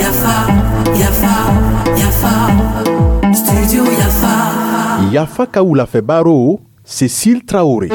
Yafa, Yafa, Yafa, Studio Yafa. Yafa ka wulafɛ baro, Cécile Traoré.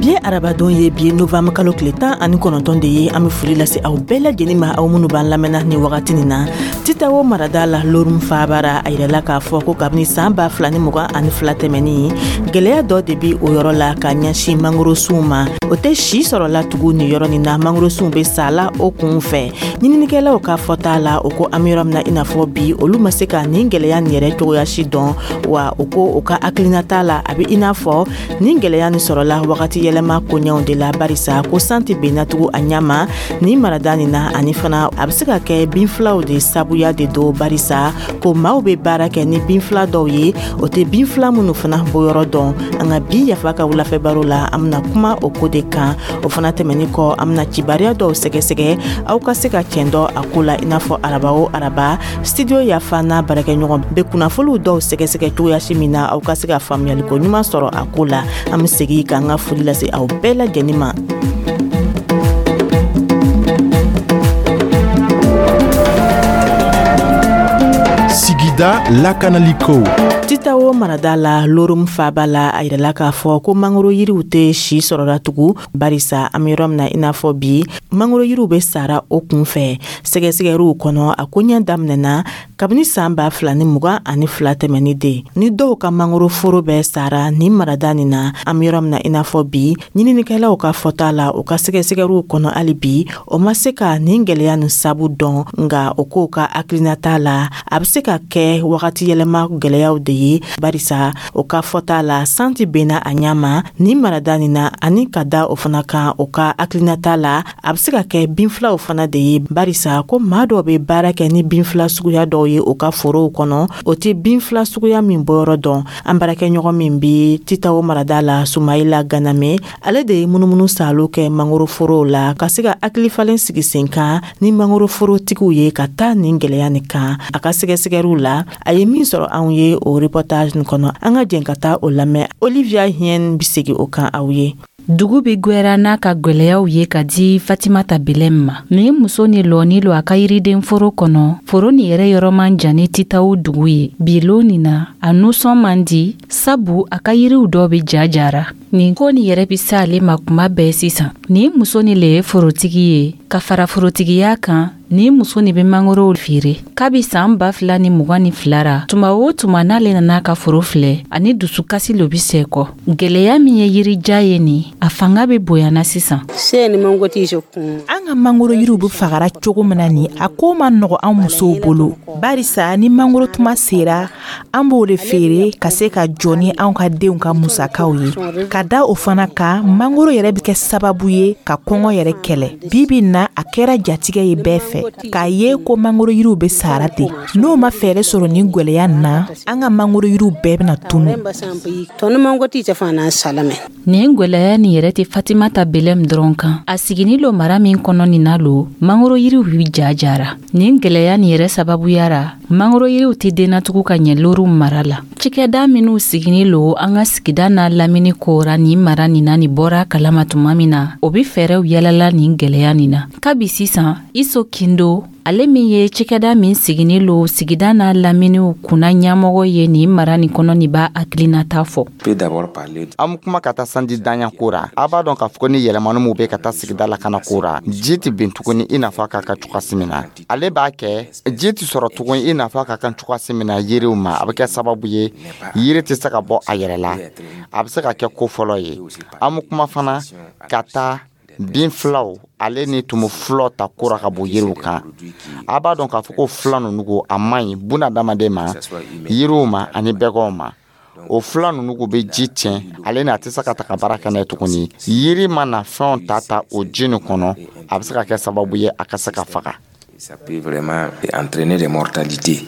Bi arabadon ye, bi novembre kalo tile 19 de ye. An bɛ foli lase aw bɛɛ lajɛlen ma, aw minnu b'an lamɛnna ni wagati nin na. Titawo marada la, Lorum faabara, a yirala k'a fɔ ko kabini san 2022 tɛmɛnin, gwɛlɛya dɔ de bi o yɔrɔ la ka ɲɛsin mangorosunw ma. O tɛ si sɔrɔla tugun nin yɔrɔ nin na, mangorosunw bɛ sala o kun fɛ. Ɲininikɛlaw ka fɔta la, o ko an bɛ yɔrɔ min na i n'a fɔ bi, olu ma se ka nin gwɛlɛya nin yɛrɛ cogoya si dɔn. Wa o ko o ka hakilinata la, a bɛ i n'a fɔ nin gwɛlɛya nin sɔrɔla wagati yɛlɛma koɲɛw de la, barisa ko san tɛ benna tugun a ɲɛ ma nin marada nin na. Ani fana, a bɛ se ka kɛ binfilaw de sabuya de don, barisa ko maaw bɛ baara kɛ ni binfila dɔw ye, o tɛ binfila minnu fana bɔyɔrɔ dɔn. An ka bi Yafa ka wulafɛ baro la, an bɛna kuma o ko de kan. O fana tɛmɛnin kɔ, an bɛna cibariya dɔw sɛgɛsɛgɛ, aw ka se ka cɛn dɔn a ko la. I n'a fɔ araba o araba, Studio Yafa n'a baarakɛɲɔgɔn bɛ kunnafoniw dɔw sɛgɛsɛgɛ cogoya si min na, aw ka se ka faamuyaliko ɲuman sɔrɔ a ko la. An bɛ segin k'an ka foli lase aw bɛɛ lajɛlen ma. Sigida lakanaliko. Titawo marada la, Lorum faba la, a yirala k'a fɔ ko mangoro yiriw tɛ si sɔrɔla tugun, barisa an bɛ yɔrɔ min na i n'a fɔ bi, mangoro yiriw bɛ sara o kun fɛ. Sɛgɛsɛgɛriw kɔnɔ, a koɲɛ daminɛna kabini san 2022 tɛmɛni de ni dɔw ka mangoro foro bɛɛ sara nin marada nin na. An bɛ yɔrɔ min na i n'a fɔ bi, ɲininikɛlaw ka fɔta la, u ka sɛgɛsɛgɛriw kɔnɔ, hali bi o ma se ka nin gwɛlɛya nin sabu dɔn. Nga o k'o ka hakilinata la, a bɛ se ka kɛ wagati yɛlɛma gwɛlɛyaw de ye, barisa o ka fɔta la, san tɛ benna a ɲɛ ma nin marada nin na. Ani ka da o fana kan, o ka hakilinata la, a bɛ se ka kɛ binfilaw fana de ye, barisa ko maa dɔw bɛ baara kɛ ni binfila suguya dɔw ye u ka forow kɔnɔ, o tɛ binfila suguya min bɔyɔrɔ dɔn. An baarakɛɲɔgɔn min bɛ Titawo marada la, Sumayila Ganame, ale de ye munumunu saalo kɛ mangoroforow la ka se ka hakilifalen sigi sen kan ni mangoroforotigiw ye ka taa nin gwɛlɛya nin kan. A ka sɛgɛsɛgɛriw la, a ye min sɔrɔ anw ye o reportage nin kɔnɔ, an ka jɛn ka taa o lamɛn. Olivia Hien bɛ segin o kan aw ye. Dugu bɛ gwɛra n'a ka gwɛlɛyaw ye ka di Fatimata Belɛm ma. Nin muso ni lɔni lo a ka yiriden foro kɔnɔ. Foro nin yɛrɛ yɔrɔ man jan ni Titaw dugu ye. Bi lon nin na, a nusɔn man di, sabu a ka yiriw dɔ bɛ ja jara. Nin ko nin yɛrɛ bɛ se ale ma kuma bɛɛ sisan. Nin muso nin le ye forotigi ye. Ka fara forotigiya kan, nin muso nin bɛ mangorow feere. Kabi san 2022 ra, tuma o tuma n'ale nana a ka foro filɛ, ani dusukasi lo bɛ sɛkɔ. Gwɛlɛya min ye yirija ye nin, a fanga bɛ bonyana sisan. An ka mangoro yiriw bɛ fagara cogo min na nin, a ko ma nɔgɔ an musow bolo, barisa ni mangoro tuma sera, an b'o de feere ka se ka jɔ ni anw ka denw ka musakaw ye. Ka da o fana kan, mangoro yɛrɛ bɛ kɛ sababu ye ka kɔngɔ yɛrɛ kɛlɛ. Bi bi na, a kɛra jatigɛ ye bɛɛ fɛ k'a ye ko mangoro yiriw bɛ sara ten. N'o ma fɛɛrɛ sɔrɔ nin gwɛlɛya na, an ka mangoro yiriw bɛɛ bɛna tunu. Nin gwɛlɛya nin yɛrɛ tɛ Fatimata Belɛm dɔrɔn kan. A sigini lo mara min kɔnɔ nin na lo, mangoro yiriw bi ja jara. Nin gwɛlɛya nin yɛrɛ sababuya ra, mangoro yiriw tɛ dennatugu ka ɲɛ Lorum mara la. Cikɛda minw sigini lo an ka sigida n'a lamini kora nin mara nin na, nin bɔra kalama tuma min na, o be fɛɛrɛw yalala nin gwɛlɛya nin na. Kabi sisan, Iso Kindo, ale min ye cikɛda min sigini lo sigida n'a laminiw kunna ɲɛmɔgɔ ye nin mara nin kɔnɔ, nin b'a hakilinata fɔ. An kuma ka taa sanji danya ko ra. A b'a dɔn k'a fɔ ko ni yɛlɛmani min bɛ ka taa sigida lakana ko ra, ji tɛ bin tuguni i n'a fɔ a ka kan cogoya min na. Ale b'a kɛ ji tɛ sɔrɔ tuguni i n'a fɔ a ka kan cogoya min na yiriw ma. A bɛ kɛ sababu ye yiri tɛ se ka bɔ a yɛrɛ la. A bɛ se ka kɛ ko fɔlɔ ye. An bɛ kuma fana ka taa bin filaw ale ni tumu fulaw ta kora ka bɔ yiriw kan. A b'a dɔn k'a fɔ ko fila ninnu ko a man ɲi buna adamaden ma, yiriw ma ani bɛganw ma. O fila ninnu ko bɛ ji tiɲɛ, ale ni a tɛ se ka ta ka baara kɛ n'a ye tuguni. Yiri mana fɛnw ta ta o ji nin kɔnɔ, a bɛ se ka kɛ sababu ye a ka se ka faga. Ça peut vraiment entraîner des mortalités.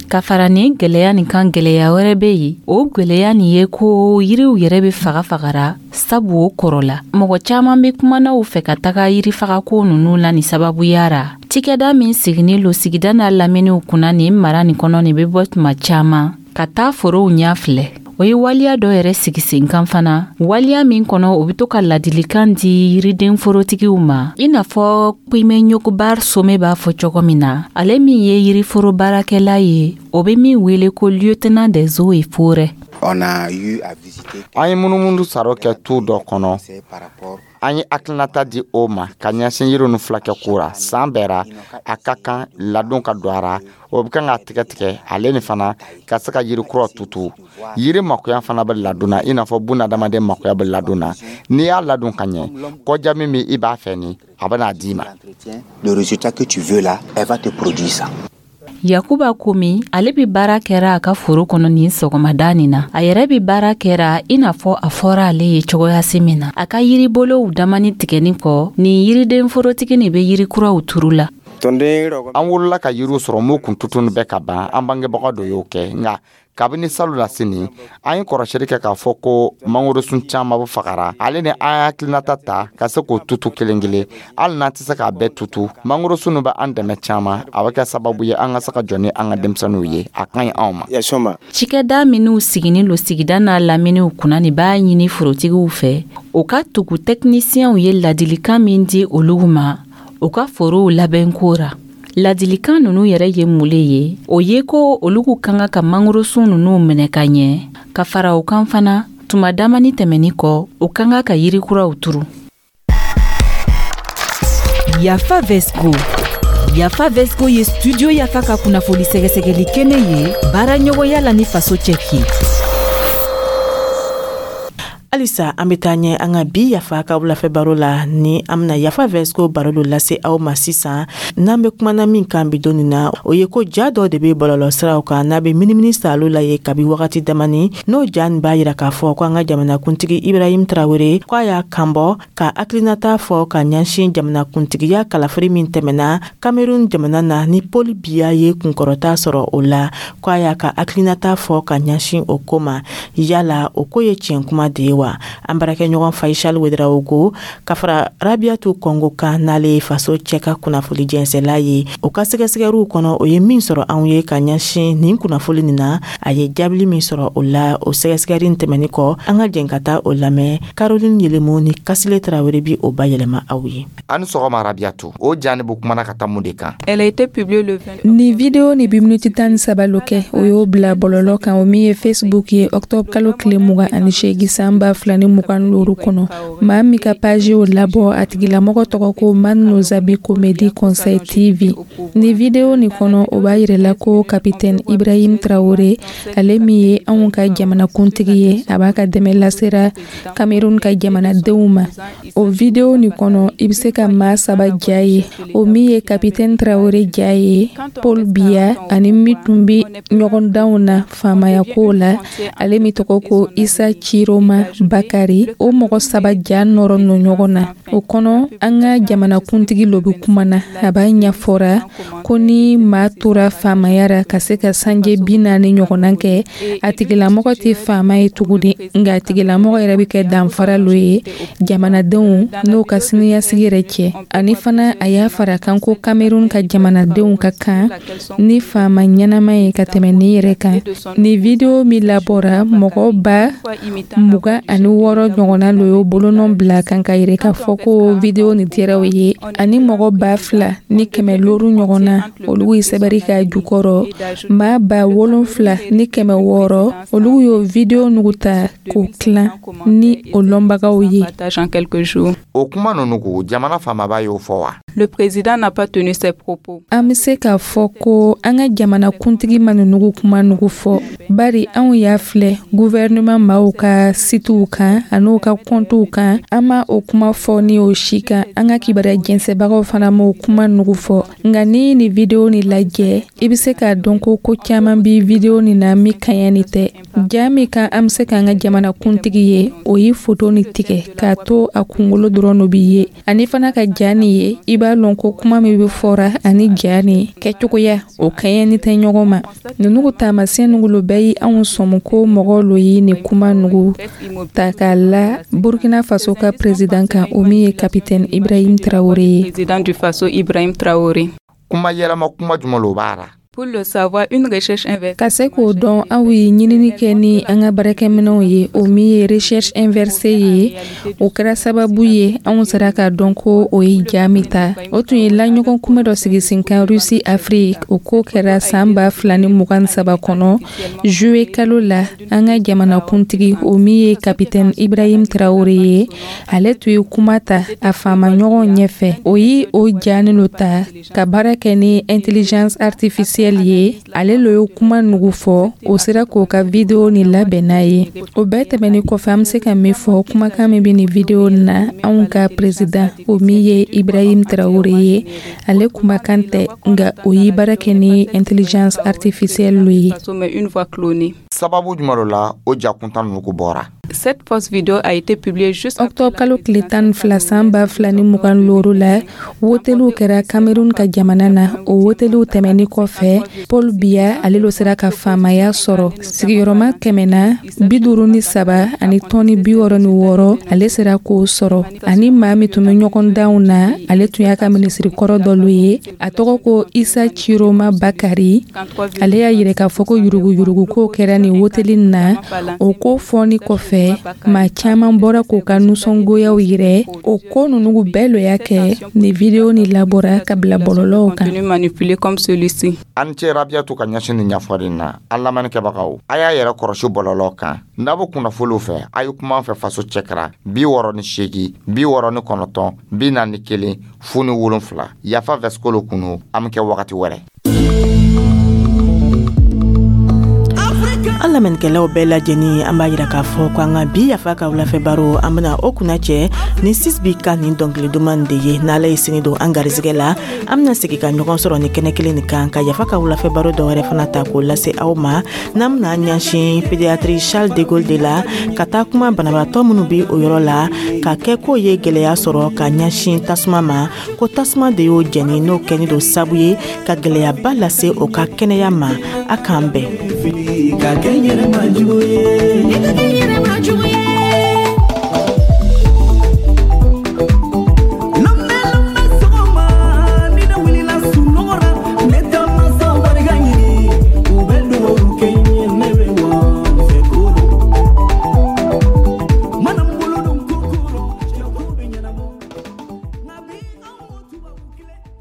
Ka fara nin gwɛlɛya nin kan, gwɛlɛya wɛrɛ bɛ yen. O gwɛlɛya nin ye ko yiriw yɛrɛ bɛ faga fagara, sabu o kɔrɔ la, mɔgɔ caaman be kumanaw fɛ ka taga yirifagako nunu la. Nin sababuya ra, cikɛda min sigini lo sigida n'a laminiw kunna nin mara nin kɔnɔ, nin be bɔ tuma caaman ka taa forow ɲɛ filɛ. O O ye waleya dɔ yɛrɛ sigi sen kan fana, waleya min kɔnɔ o bɛ to ka ladilikan di yiriden forotigiw ma, i n'a fɔ Pime Ɲogobar Some b'a fɔ cogo min na, ale min ye yiriforo baarakɛla ye, o bɛ min wele ko lieutenant des eaux et forêts. An ye munumunu saro kɛ tu dɔ kɔnɔ. An ye hakilinata di o ma ka ɲɛsin yiri nu fulakɛ ko ra. San bɛɛ ra, a ka kan ladon ka don a ra. O bɛ kan ka tigɛ tigɛ ale ni fana ka se ka yiri kura tutu. Yiri makoya fana bɛ ladon na, i n'a fɔ buna adamaden makoya bɛ ladon na. N'i y'a ladon ka ɲɛ, kɔja min bɛ i b'a fɛ ni a bɛna d'i ma. Le résultat que tu veux là, elle va te produire ça. Yakuba Komi, ale bɛ baara kɛra a ka foro kɔnɔ nin sɔgɔmada nin na. A yɛrɛ bɛ baara kɛra i n'a fɔ a fɔra ale ye cogoyasi min na. A ka yiribolow damani tigɛni kɔ, nin yiriden forotigi nin bɛ yiri kuraw turu la. An wolola ka yiriw sɔrɔ m'u kun tutunu bɛɛ ka ban. An bangebaga dɔ y'o kɛ, nka kabini salo la sini, an ye kɔrɔsili kɛ k'a fɔ ko mangorosun caman bɛ fagara. Ale ni an hakilinata ta ka se k'o tutu kelen kelen, hali n'an tɛ se k'a bɛɛ tutu. Mangorosun bɛ an dɛmɛ caman, a bɛ kɛ sababu ye an ka se ka jɔ ni an ka denmisɛnninw ye. A ka ɲi anw ma. Cikɛda minnu siginin lo sigida n'a laminiw kunna nin b'a ɲini forotigiw fɛ, o ka tugu tɛkinisiyɛnw ye ladilikan min di olu ma u ka forow labɛnko ra. Ladilikan ninnu yɛrɛ ye mun le ye? O ye ko olu ka kan ka mangorosun ninnu minɛ ka ɲɛ, ka fara o kan fana, tuma damani tɛmɛni kɔ, o ka kan ka yiri kuraw turu. Yafa Vesco. Yafa Vesco ye Studio Yafa ka kunnafoni sɛgɛsɛgɛli kɛnɛ ye, baara ɲɔgɔnya la ni Faso cɛki. Halisa an bɛ taa ɲɛ an ka bi Yafa ka wulafɛ baro la ni an bɛna Yafa Vesco baro dɔ lase aw ma sisan. N'an bɛ kumana min kan bi don nin na, o ye ko ja dɔ de bɛ bɔlɔlɔ siraw kan n'a bɛ minimini salo la ye kabi wagati damani. N'o ja nin b'a yira k'a fɔ ko an ka jamanakuntigi Ibrahim Traoré, ko a y'a kanbɔ ka hakilinata fɔ ka ɲɛsin jamanakuntigiya kalafili min tɛmɛna Cameroun jamana na, ni Paul Biya ye kunkɔrɔta sɔrɔ o la, ko a y'a ka hakilinata fɔ ka ɲɛsin o ko ma. Yala o ko ye tiɲɛ kuma de ye wa? An baarakɛɲɔgɔn Faisal Ouedraogo ka fara Rabiatu Kɔngo kan, n'ale ye Faso cɛ ka kunnafoli jɛnsɛla ye, o ka sɛgɛsɛgɛriw kɔnɔ, o ye min sɔrɔ anw ye ka ɲɛsin nin kunnafoli nin na, a ye jaabili min sɔrɔ o la o sɛgɛsɛgɛri tɛmɛni kɔ, an ka jɛn ka taa o lamɛn. Caroline Yelemu ni Kasile Tarawele bi o bayɛlɛma aw ye. Ani sɔgɔma Rabiatu. O ja ni bɛ kumana ka taa mun de kan? Ni video ni bi miniti 13 lo kɛ, o y'o bila bɔlɔlɔ kan, o min ye Facebook ye, octobre kalo tile 28 san 2025 kɔnɔ. Maa min ka page o labɔ, a tigilamɔgɔ tɔgɔ ko Man Nozabi Comédie Conseil TV. Ni video nin kɔnɔ, o b'a yirala ko capitaine Ibrahim Traoré, ale min ye anw ka jamanakuntigi ye, a b'a ka dɛmɛ lasera Cameroun ka jamanadenw ma. O video nin kɔnɔ, i bɛ se ka maa saba ja ye, o min ye capitaine Traoré ja ye, Paul Biya ani min tun bɛ ɲɔgɔndanw na faamaya ko la, ale min tɔgɔ ko Isa Chiroma Bakari. O mɔgɔ saba ja nɔrɔ nɔ ɲɔgɔn na. O kɔnɔ, an ka jamanakuntigi lo bɛ kuma na. A b'a ɲɛfɔra ko ni maa tora faamaya ra ka se ka sanje 40 ɲɔgɔnna kɛ, a tigilamɔgɔ tɛ faama ye tuguni, nka a tigilamɔgɔ yɛrɛ bɛ kɛ danfara lo ye jamanadenw n'o ka siniɲɛsigi yɛrɛ cɛ. Ani fana, a y'a fara kan ko Cameroun ka jamanadenw ka kan ni faama ɲɛnama ye ka tɛmɛ nin yɛrɛ kan. Ni video min labɔra, mɔgɔ 26,000 ɲɔgɔnna lo y'o bolonɔ bila kan ka yɛrɛ k'a fɔ ko video nin diyara o ye, ani mɔgɔ 2500 ɲɔgɔnna, olu ye sɛbɛnni k'a jukɔrɔ. Maa 7600, olu y'o video nugu ta k'o tilan ni o lɔnbagaw ye. O kuma ninnu ko jamana faamaba y'o fɔ wa? Le président n'a pas tenu ses propos. An bɛ se k'a fɔ ko an ka jamanakuntigi ma nugu kuma nugu fɔ, bari anw y'a filɛ gouvernement maaw ka sitiw kan an'u ka kɔntiw kan, an ma o kuma fɔ ni o si kan. An ka kibaruya jɛnsɛbagaw fana m'o kuma nugu fɔ. Nka ni nin video nin lajɛ, i bɛ se k'a dɔn ko ko caman bi video nin na min kaɲɛ ni tɛ. Ja min kan an bɛ se k'an ka jamanakuntigi ye, o ye foto nin tigɛ k'a to a kunkolo dɔrɔn no bi ye. Ani fana ka ja nin ye, i b'a lɔn ko kuma min bɛ fɔra ani ja nin kɛcogoya, o kaɲɛni tɛ ɲɔgɔn ma. Ninnu taamasiyɛn nugu lo bɛɛ ye anw sɔmi ko mɔgɔw lo ye nin kuma nugu ta k'a la Burkina Faso ka président kan, o min ye capitaine Ibrahim Traoré ye. Président du Faso Ibrahim Traoré. Kuma yɛlɛma kuma jumɛn lo b'a la? Pour le savoir, une recherche inversée. Ka se k'o dɔn, aw ye ɲinini kɛ ni an ka baarakɛminɛnw ye, o min ye recherche inversée ye. O kɛra sababu ye anw sera k'a dɔn ko o ye ja min ta, o tun ye laɲɔgɔn kunbɛ dɔ sigi sen kan Russie Afrique. O ko kɛra san 2023 kɔnɔ, juillet kalo la. An ka jamanakuntigi, o min ye capitaine Ibrahim Traoré ye, ale tun ye kuma ta a faamaɲɔgɔn ɲɛfɛ. O ye o ja nin ta ka baara kɛ ni intelligence artificielle ye. Ale lo ye kuma nugu fɔ, o sera k'o ka vidéo ni labɛn n'a ye. O bɛɛ tɛmɛni kɔfɛ, an bɛ se ka min fɔ, kumakan min bɛ nin vidéo na, anw ka président, o min ye Ibrahim Traoré ye, ale kumakan tɛ, nka o ye baara kɛ ni intelligence artificielle ye. Une voix clonée. Sababu jumɛn dɔ la o ja kuntan ninnu ko bɔra? Cette fausse vidéo a été publiée juste Octobre kalo tile 12 san 2025 la, woteliw kɛra Cameroun ka jamana na. O woteliw tɛmɛni kɔfɛ, Paul Biya, ale lo sera ka faamaya sɔrɔ sigiyɔrɔma kɛmɛ na 53 ani tɔni 66, ale sera k'o sɔrɔ. Ani maa min tun bɛ ɲɔgɔn danw na, ale tun y'a ka minisiri kɔrɔ dɔ lo ye, a tɔgɔ ko Isa Ciroma Bakari. Ale y'a yira k'a fɔ ko yuruguyurugu ko kɛra nin woteli na. O ko fɔni kɔfɛ, maa caman bɔra k'u ka nisɔngoyaw yirɛ. O ko ninnu bɛɛ lo y'a kɛ ni vidéo ni labɔra ka bila bɔlɔlɔw kan. Manipulé comme celui-ci. An ce Rabiyatu ka ɲɛsin nin ɲɛfɔli na. An lamɛnnikɛbagaw, a y'a yɛrɛ kɔrɔsi bɔlɔlɔ kan. N'a bɛ kunnafoniw fɛ, a ye kuma an fɛ Faso cɛkara 68 69 41 07. Yafa Vɛsikolo kunu, an bɛ kɛ wagati wɛrɛ. An lamɛnnikɛlaw bɛɛ lajɛlen, an b'a yira k'a fɔ ko an ka bi Yafa ka wulafɛ baro, an bena o kunna cɛ ni Sisbi ka nin dɔnkili duman de ye. N'Ala ye sini don an garizigɛ la, an bena segi ka ɲɔgɔn sɔrɔ ni kɛnɛ kelen nin kan ka Yafa ka wulafɛ baro dɔ wɛrɛ fana ta k'o lase aw ma, n'an bena ɲɛsin pédiatrie Charles de Gaulle de la, ka taa kuma banabaatɔ minnu bi o yɔrɔ la ka kɛ k'o ye gwɛlɛya sɔrɔ ka ɲɛsin tasuma ma, ko tasuma de y'o jɛni, n'o kɛni don sabu ye ka gwɛlɛyaba lase o ka kɛnɛya ma. A k'an bɛn. Ka kɛ n yɛrɛ ma jugu ye.